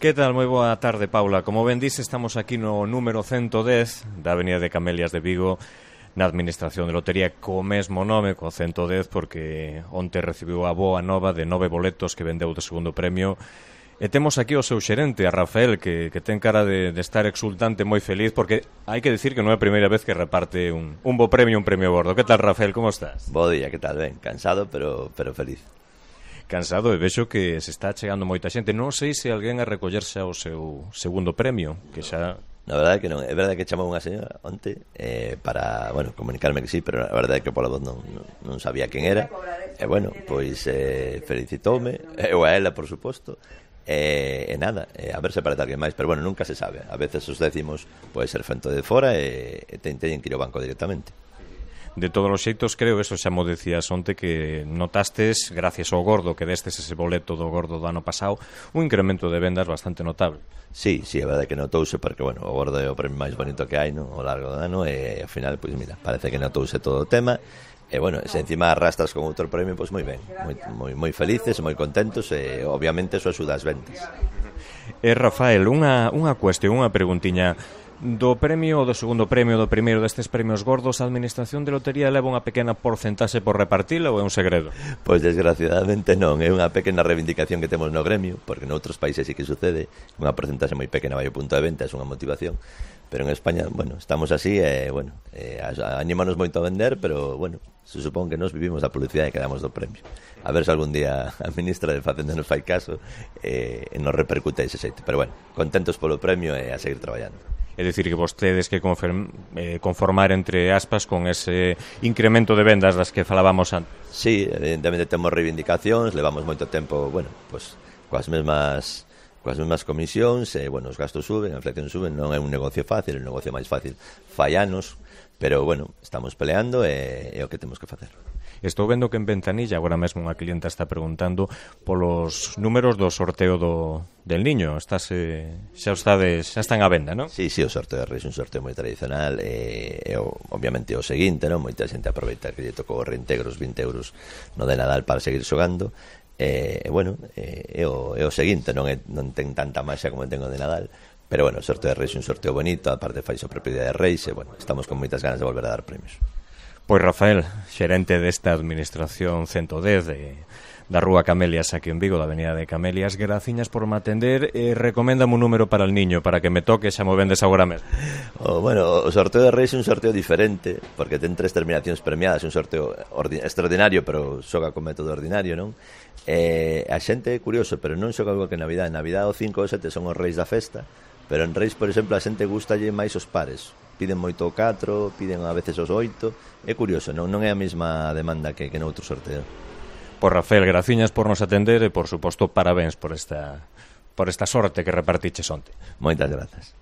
Que tal? Moi boa tarde, Paula. Como ben dise, estamos aquí no número 110 da Avenida de Camelias de Vigo, na Administración de Lotería, co mesmo nome, co 110, porque onte recibiu a boa nova de 9 boletos que vendeu de segundo premio. E temos aquí o seu xerente, a Rafael, que ten cara de estar exultante, moi feliz, porque hai que dicir que non é a primeira vez que reparte un bo premio, un premio gordo. Que tal, Rafael, como estás? Bo día, que tal? Ben, cansado, pero feliz. Cansado, e vexo que se está chegando moita xente. Non sei se alguén a recollerse ao seu segundo premio, que xa... Na verdade que non, é verdade que chamou unha señora onte para, bueno, comunicarme que sí, pero a verdade é que pola voz non sabía quen era. E bueno, pois felicitoume, eu a ela, por suposto. E nada, a ver se parece alguén máis, pero bueno, nunca se sabe. A veces os décimos pode ser fento de fora e teñen que ir ao banco directamente. De todos os xeitos, creo, eso xa mo decías onte, que notastes, gracias ao gordo, que destes ese boleto do gordo do ano pasado, un incremento de vendas bastante notable. Sí, a verdade que notouse, porque, bueno, o gordo é o premio máis bonito que hai, no, ao largo do ano, e ao final, pois mira, parece que notouse todo o tema, e, bueno, se encima arrastras con outro premio, pois moi ben, moi felices, moi contentos, e, obviamente, eso axuda as ventas. Rafael, unha cuestión, unha preguntiña. Do premio ou do segundo premio, do primeiro destes premios gordos, a Administración de Lotería leva unha pequena porcentaxe por repartila ou é un segredo? Pois desgraciadamente non, é unha pequena reivindicación que temos no gremio, porque noutros países sí que sucede, unha porcentaxe moi pequena vai ao punto de venta, é unha motivación, pero en España, bueno, estamos así e, bueno, anímanos moito a vender, pero, bueno, se supón que nos vivimos da publicidade que damos do premio. A ver se algún día a ministra de Facenda nos fai caso e nos repercute ese xeito, pero, bueno, contentos polo premio e a seguir traballando. É dicir que vostedes que conformar entre aspas con ese incremento de vendas das que falábamos antes. Sí, evidentemente temos reivindicacións, levamos moito tempo, bueno, pues, coas mesmas comisións, bueno, os gastos suben, a inflación suben, non é un negocio fácil, é un negocio máis fácil fai anos, pero, bueno, estamos peleando e é o que temos que facer. Estou vendo que en Ventanilla agora mesmo unha clienta está preguntando polos números do sorteo del Niño. Xa están á venda, non? Sí, o sorteo de Reis é un sorteo moi tradicional e obviamente o seguinte, non? Moita xente aproveita que lle tocou reintegros 20 euros no de Nadal para seguir xogando. Bueno, é o seguinte, non ten tanta maxia como ten o de Nadal, pero bueno, o sorteo de Reis é un sorteo bonito, aparte fai a propiedade de Reis e bueno, estamos con moitas ganas de volver a dar premios. Pois Rafael, xerente desta Administración 110 da Rúa Camelias aquí en Vigo, da Avenida de Camelias, graciñas por me atender e recoméndame un número para el niño, para que me toque, xa mo vendes agora mesmo. Bueno, o sorteo de Reis é un sorteo diferente, porque ten 3 terminacións premiadas, un sorteo extraordinario, pero xoga con método ordinario, non? A xente é curioso, pero non xoga igual que en Navidad. En Navidad o 5 ou 7 son os reis da festa, pero en Reis, por exemplo, a xente gustalle máis os pares. Piden moito o 4, piden a veces os 8. É curioso, non é a mesma demanda que noutro sorteo. Pois Rafael, graciñas por nos atender e, por suposto, parabéns por esta sorte que repartiches onte. Moitas grazas.